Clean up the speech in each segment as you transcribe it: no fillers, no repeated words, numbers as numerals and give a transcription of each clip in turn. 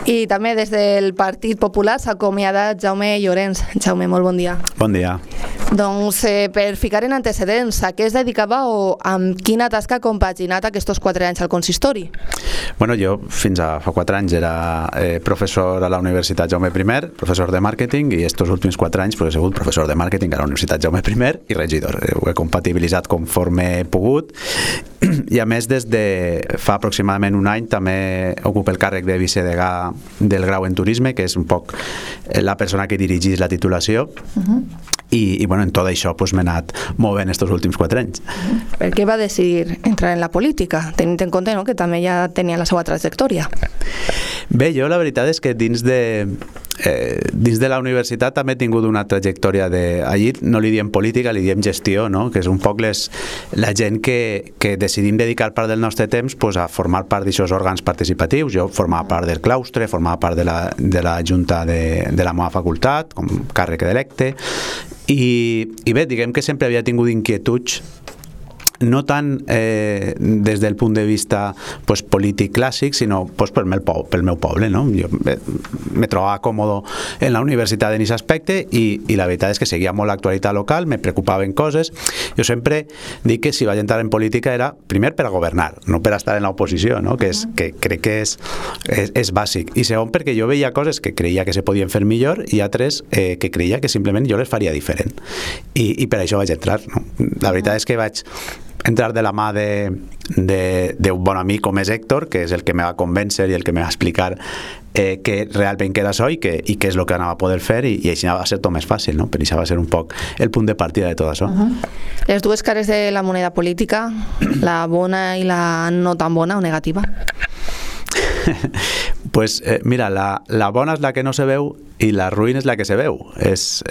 I també des del Partit Popular s'ha acomiadat Jaume Llorens. Jaume, molt bon dia. Bon dia. Doncs per ficar en antecedents, a què es dedicava o amb quina tasca ha compaginat aquests 4 anys al consistori? Bueno, jo fins a fa 4 anys era professor a la Universitat Jaume I, professor de màrqueting, i estos últims 4 anys he sigut professor de màrqueting a la Universitat Jaume I i regidor. Ho he compatibilitzat conforme he pogut, i a més des de fa aproximadament un any també ocupo el càrrec de vicedegà del grau en turisme, que és un poc la persona que dirigís la titulació. I bueno, en tot això m'he anat movent estos últims 4 anys. Per què va decidir entrar en la política, tenint en compte que també ja tenia la seva trajectòria? Bé, jo la veritat és que dins de la universitat també he tingut una trajectòria allí no li diem política, li diem gestió, no? Que és un poc la gent que decidim dedicar part del nostre temps a formar part d'aquests òrgans participatius. Jo formava part del claustre, formava part de la junta de la meva facultat com càrrec electe, i bé, diguem que sempre havia tingut inquietuds, no tant des del punt de vista polític clàssic, sinó pel meu poble, no? Jo me trobava còmode en la universitat en aquest aspecte, i la veritat és que seguia molt l'actualitat local, me preocupaven coses. Jo sempre dic que si vaig entrar en política era primer per a governar, no per a estar en l'oposició, no? Que crec que és bàsic, i segon perquè jo veia coses que creia que se podien fer millor i altres que creia que simplement jo les faria diferent, i per això vaig entrar, no? La veritat és que vaig entrar de la mà d'un bon amic com és Héctor, que és el que me va convèncer i el que me va explicar que realment que era això i què és el que anava a poder fer, i així va ser tot més fàcil, no? Per això va ser un poc el punt de partida de tot això. Les dues cares de la moneda política, la bona i la no tan bona o negativa? Pues mira, la bona és la que no se veu i la ruïna és la que se veu. És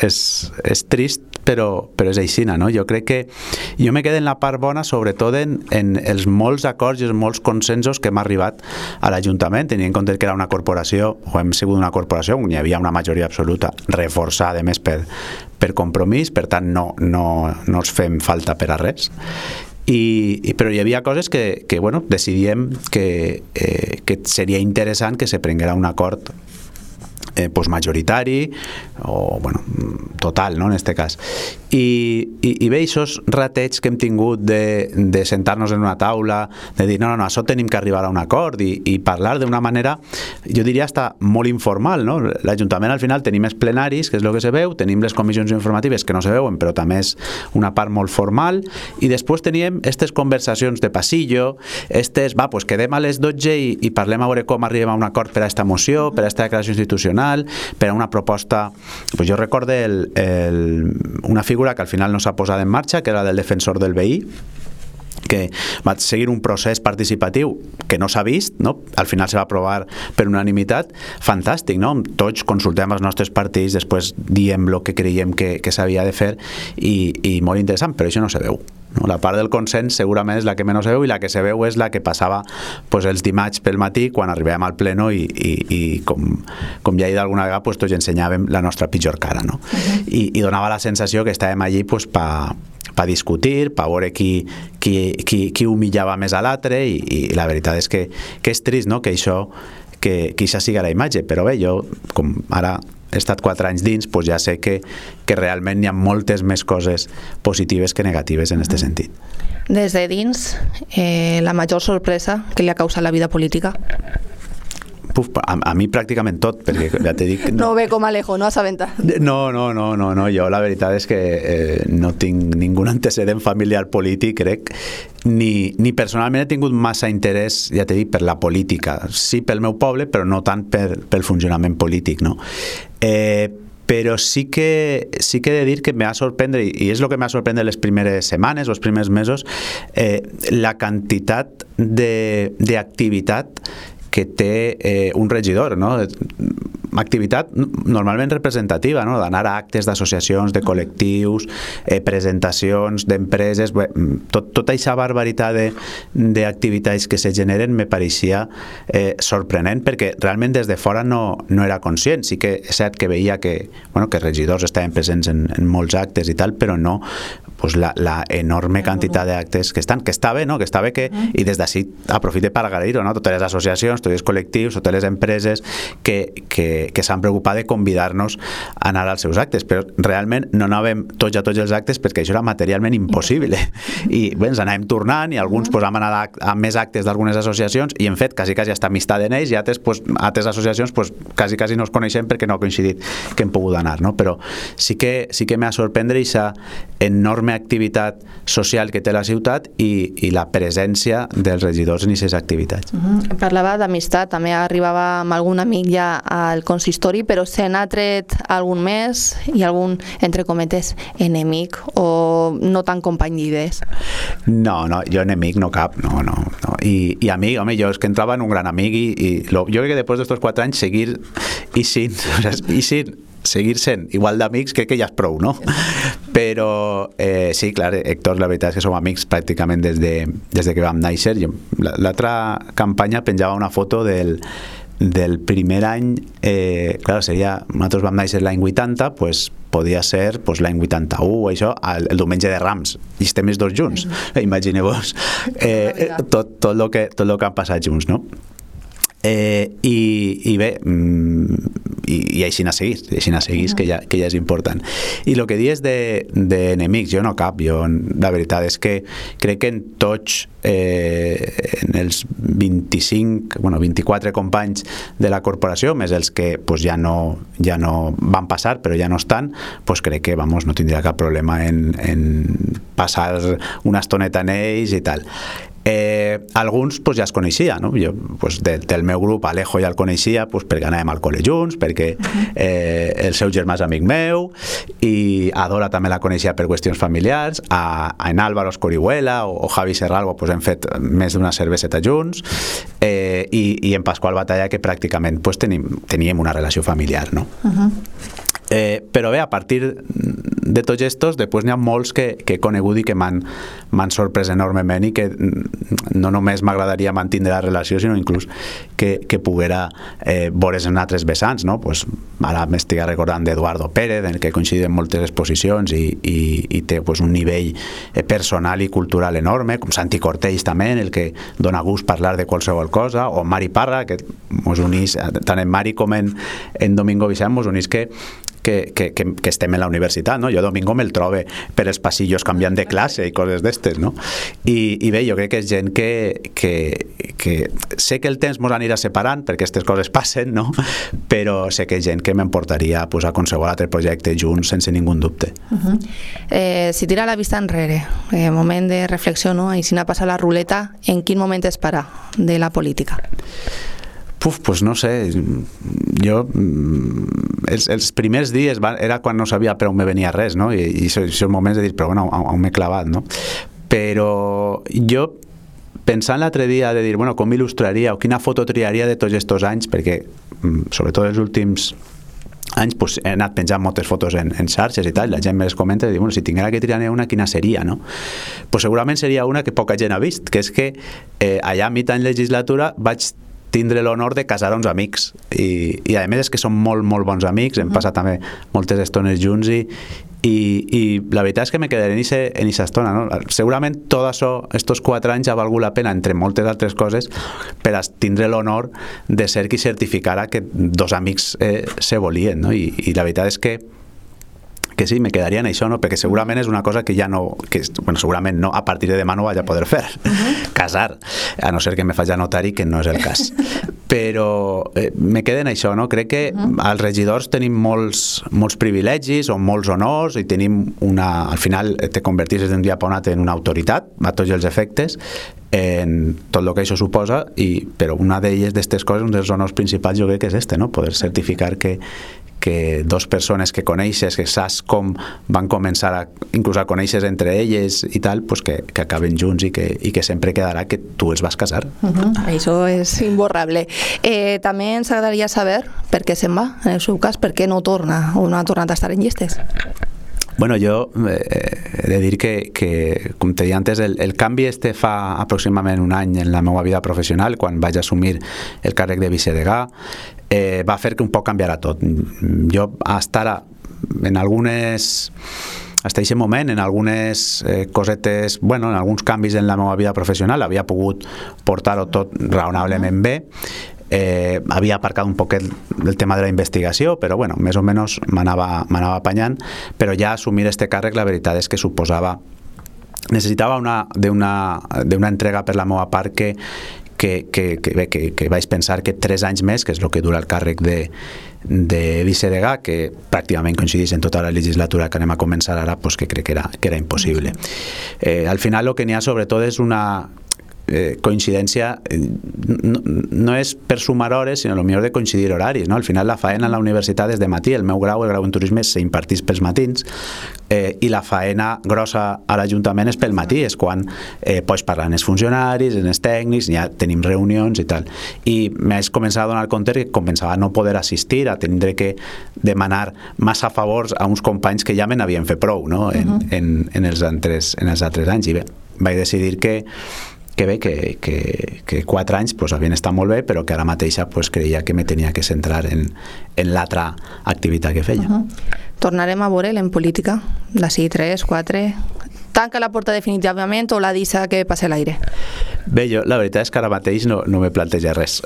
trist, però és aixina, no? Jo crec que jo me quedo en la part bona, sobretot en els molts acords i els molts consensos que hem arribat a l'Ajuntament, tenint en compte que era una corporació, o hem sigut una corporació on hi havia una majoria absoluta reforçada, a més, per compromís, per tant no ens fem falta per a res. Però hi havia coses que decidíem que seria interessant que se prenguera un acord majoritari o total, no, en este cas. I bé, aquests rateig que hem tingut de sentar-nos en una taula, de dir, no, això tenim que arribar a un acord i parlar d'una manera, jo diria hasta molt informal, no? L'Ajuntament al final tenim els plenaris, que és el que se veu, tenim les comissions informatives que no se veuen, però també és una part molt formal, i després teníem aquestes conversacions de passillo, quedem a les 12 i parlem a veure com arribem a un acord per a aquesta moció, per a aquesta declaració institucional, per a una proposta. Jo recordo una figura que al final no s'ha posat en marxa, que era del defensor del veí, que va seguir un procés participatiu que no s'ha vist, no? Al final se va aprovar per unanimitat, fantàstic, no? Tots consultem els nostres partits, després diem el que creiem que s'havia de fer, i molt interessant, però això no se veu, no? La part del consens segurament és la que menys se veu, i la que se veu és la que passava els dimarts pel matí quan arribàvem al pleno i com ja he dit alguna vegada, tots ensenyàvem la nostra pitjor cara, no? I donava la sensació que estàvem allí per discutir, per veure qui humillava més a l'altre, i la veritat és que és trist, no? Que això siga la imatge, però bé, jo com ara he estat 4 anys dins, ja sé que realment hi ha moltes més coses positives que negatives en aquest sentit. Des de dins, la major sorpresa que li ha causat la vida política? A mi pràcticament tot, perquè ja t'he dit... No ho ve com Alejo, no assabenta. No, jo la veritat és que no tinc ningú antecedent familiar polític, crec, ni personalment he tingut massa interès, ja t'he dit, per la política. Sí pel meu poble, però no tant pel funcionament polític, no? Però sí que he de dir que me va sorprendre, i és el que me va sorprendre les primeres setmanes o els primers mesos, la quantitat d'activitat que té un regidor, no? activitat normalment representativa, no? D'anar a actes d'associacions, de col·lectius, presentacions d'empreses, tota aquesta barbaritat d'activitats que se generen me pareixia sorprenent, perquè realment des de fora no era conscient. Sí que és cert que veia que regidors estaven presents en molts actes i tal, però no la enorme quantitat d'actes que estan, que està bé, no? Que està bé que, i des d'ací aprofite per agrair-ho, no? Totes les associacions, tots els col·lectius, totes les empreses que s'han preocupat de convidar-nos a anar als seus actes, però realment no anàvem tots a tots els actes perquè això era materialment impossible, i bé, ens anàvem tornant, i alguns vam anar a més actes d'algunes associacions i hem fet quasi hasta amistat en ells, i altres associacions quasi no es coneixem perquè no ha coincidit que hem pogut anar, no? Però sí que m'ha sorprendre aquesta enorme activitat social que té la ciutat i la presència dels regidors en aquestes activitats. Parlava d'amistat, també arribava amb algun amic ja al consistori, però se n'ha tret algun més i algun, entre cometes, enemic o no tan company d'idees? No, jo enemic no cap, no. I amic, home, jo és que entrava en un gran amic i jo crec que després d'estos 4 anys seguir sent igual d'amics crec que ja és prou, no? Però sí, clar, Héctor, la veritat és que som amics pràcticament des de que vam néixer. L'altra campanya penjava una foto del primer any, clar, seria, nosaltres vam néixer l'any 80, podia ser l'any 81, això, el diumenge de Rams, i estem els dos junts, imagineu-vos tot el que han passat junts, no? I bé, i així a seguir, que ja és important. I el que dius d'enemics, jo no cap, la veritat és que crec que en tots en els 24 companys de la corporació, més els que ja no van passar però ja no estan, crec que no tindria cap problema en passar una estoneta en ells i tal. Alguns ja es coneixia, no? Jo del meu grup Alejo ja el coneixia perquè anàvem al col·le junts, perquè el seu germà és amic meu, i a Dora també la coneixia per qüestions familiars, en Álvaro Escorihuela o Javi Serralbo hem fet més d'una cerveseta junts, i en Pasqual Batalla, que pràcticament teníem una relació familiar, no? Però bé, a partir de tots estos, després n'hi ha molts que he conegut i que m'han sorprès enormement i que no només m'agradaria mantenir la relació, sinó inclús que poguera veure's en altres vessants, no? Ara m'estic recordant d'Eduardo Pérez, en què coincidim moltes exposicions i té un nivell personal i cultural enorme, com Santi Cortells també, en el que dona gust parlar de qualsevol cosa, o Mari Parra, que mos unís, tant en Mari com en Domingo Vicent, mos unís que estem en la universitat, no? Jo Domingo me'l trobe per els passillos canviant de classe i coses d'estes, no? I bé, jo crec que és gent que sé que el temps mos anirà separant perquè aquestes coses passen, no? Però sé que és gent que m'emportaria a qualsevol altre projecte junts sense ningú dubte. Si tira la vista enrere, moment de reflexió, no? I si n'ha passat la ruleta, en quin moment es para de la política? No sé, jo els primers dies era quan no sabia per on me venia res, no? I són moments de dir, però bueno, on m'he clavat, no? Però jo, pensant l'altre dia de dir, bueno, com il·lustraria o quina foto triaria de tots aquests anys, perquè sobretot els últims anys he anat penjant moltes fotos en xarxes i tal, la gent me les comenta i diu, bueno, si tinguera que triar una, quina seria, no? Segurament seria una que poca gent ha vist, que és que allà a mitjà en legislatura vaig tindre l'honor de casar uns amics i a més és que són molt, molt bons amics, hem passat també moltes estones junts i la veritat és que me quedaré en aquesta estona, no? Segurament tot això, estos 4 anys ha valgut la pena, entre moltes altres coses, per a tindre l'honor de ser qui certificara que dos amics se volien, no? I la veritat és que sí, me quedaria en això, no? Perquè segurament és una cosa que ja no, segurament no, a partir de demà no vaig a poder fer, casar, a no ser que me faci notari, que no és el cas. Però me queda en això, no? Crec que els regidors tenim molts privilegis o molts honors i tenim al final te converteixes d'un dia per un altre en una autoritat, a tots els efectes, en tot el que això suposa, però una d'elles, d'aquestes coses, un dels honors principals jo crec que és no? Poder certificar que que dos persones que coneixes, que saps com van començar inclús a conèixer entre elles i tal, pues que acaben junts i que sempre quedarà que tu els vas casar. Això és imborrable. També ens agradaria saber per què se'n va, en el seu cas, per què no torna o no ha tornat a estar en llistes. Bueno, jo he de dir que com te deia antes, el canvi fa aproximadament un any en la meva vida professional, quan vaig assumir el càrrec de vicedegà, va fer que un poc canviarà tot. Jo hasta ara, en algunes... Hasta aquest moment, en algunes cosetes, bueno, en alguns canvis en la meva vida professional, havia pogut portar-ho tot raonablement bé. Havia aparcat un poc el tema de la investigació, però bueno, més o menys m'anava apanyant, però ja assumir este càrrec la veritat és que suposava necessitava d'una entrega per la meva part que vaig pensar que 3 anys més, que és el que dura el càrrec de vicedegà, que pràcticament coincideix en tota la legislatura que anem a començar ara, pues que crec que era impossible. Al final el que n'hi ha sobretot és una coincidència, no és per sumar hores, sinó potser de coincidir horaris, no? Al final la faena a la universitat és de matí, el meu grau, el grau en turisme, s'impartís pels matins, i la faena grossa a l'Ajuntament és pel matí, és quan pots parlar amb els funcionaris, amb els tècnics, ja tenim reunions i tal. I m'haig començat a donar compte que començava a no poder assistir, a tindre que demanar massa favors a uns companys que ja me n'havien fet prou, no? En els altres anys. I bé, vaig decidir que 4 anys pues, havien estat molt bé, però que ara mateixa pues, creia que me tenia que centrar en l'altra activitat que feia. Tornarem a veure'l en política, d'ací 3, 4... Tanca la porta definitivament o la deixa que passe l'aire? Bé, jo la veritat és que ara mateix no me planteja res,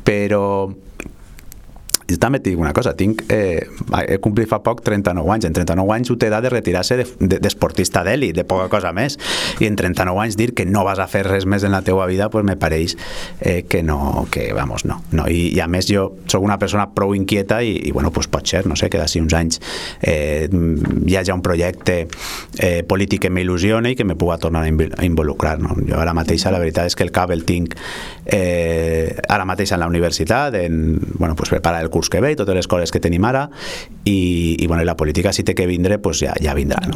però jo també et dic una cosa, he complit fa poc 39 anys, en 39 anys ho té edat de retirar-se d'esportista d'èlit, de poca cosa més, i en 39 anys dir que no vas a fer res més en la teua vida, pues me pareix que no, no. I a més jo soc una persona prou inquieta i bueno, pues pot ser, no sé, que d'ací uns anys hi hagi un projecte polític que m'il·lusiona i que me puga tornar a involucrar, no? Jo ara mateixa la veritat és que el cap el tinc ara mateix en la universitat, bueno, pues preparar el curs que ve i totes les coses que tenim ara i bueno, la política si té que vindre pues ja vindrà, no?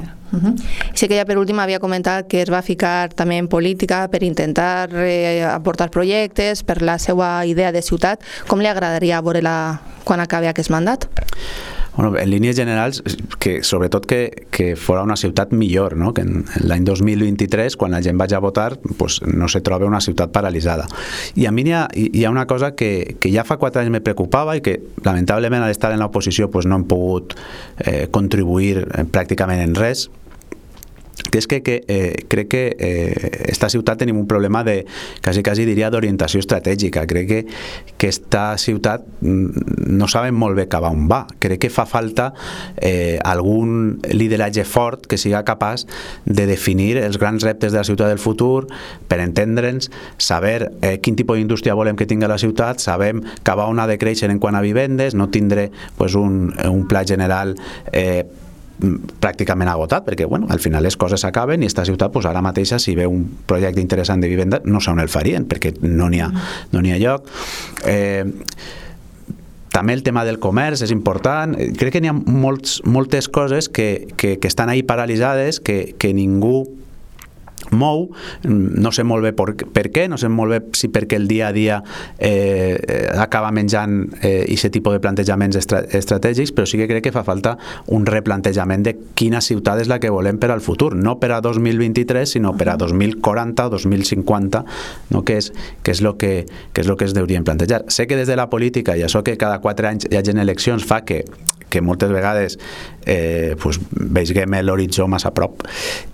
Sí que ja per últim havia comentat que es va ficar també en política per intentar aportar projectes per la seva idea de ciutat. Com li agradaria veure-la quan acabi aquest mandat? Bueno, en línies generals, que sobretot que fora una ciutat millor, no? Que en l'any 2023, quan la gent vaig a votar, pues, no se troba una ciutat paralitzada. I a mi hi ha una cosa que ja fa 4 anys me preocupava i que lamentablement al estar en l'oposició pues, no hem pogut contribuir pràcticament en res, que és que crec que esta ciutat tenim un problema de, quasi diria, d'orientació estratègica. Crec que esta ciutat no sabem molt bé cap a on va. Crec que fa falta algun lideratge fort que siga capaç de definir els grans reptes de la ciutat del futur, per entendre'ns, saber quin tipus d'indústria volem que tingui la ciutat, sabem cap a on ha de créixer en quant a vivendes, no tindre pues, un pla general pràcticament agotat, perquè bueno, al final les coses s'acaben i esta ciutat pues, ara mateixa si ve un projecte interessant de vivenda no sé on el farien, perquè no n'hi ha lloc. També el tema del comerç és important. Crec que n'hi ha moltes coses que estan ahí paralitzades, que ningú mou, no sé molt bé per què, no sé molt bé si perquè el dia a dia acaba menjant aquest tipus de plantejaments estratègics, però sí que crec que fa falta un replantejament de quina ciutat és la que volem per al futur, no per a 2023 sinó per a 2040 o 2050, no? que és el que es deurien plantejar. Sé que des de la política i això que cada 4 anys hi hagi eleccions fa que moltes vegades pues, veiem l'horitzó massa a prop,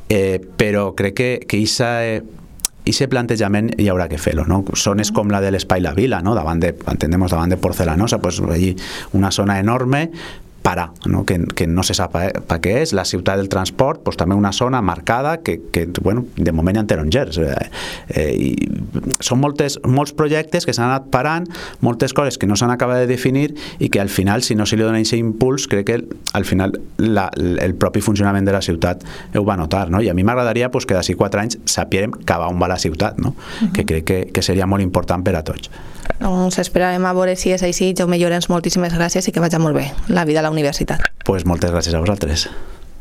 però crec que aquest plantejament hi haurà que fer-lo, no? Zones com la de l'Espai La Vila, no? davant de Porcelanosa, pues, allí una zona enorme no? Que no se sap per què és, la ciutat del transport, pues, també una zona marcada que bueno, de moment hi ha tarongers. Són molts projectes que s'han anat parant, moltes coses que no s'han acabat de definir i que al final, si no se li dona aquest impuls, crec que al final el propi funcionament de la ciutat ho va notar, no? I a mi m'agradaria pues, que d'ací 4 anys sapierem cap a on va la ciutat, no? Que crec que seria molt important per a tots. Doncs esperarem a veure si és així. Jaume Llorenç, moltíssimes gràcies i que vagi molt bé la vida a la universitat. Pues moltes gràcies a vosaltres.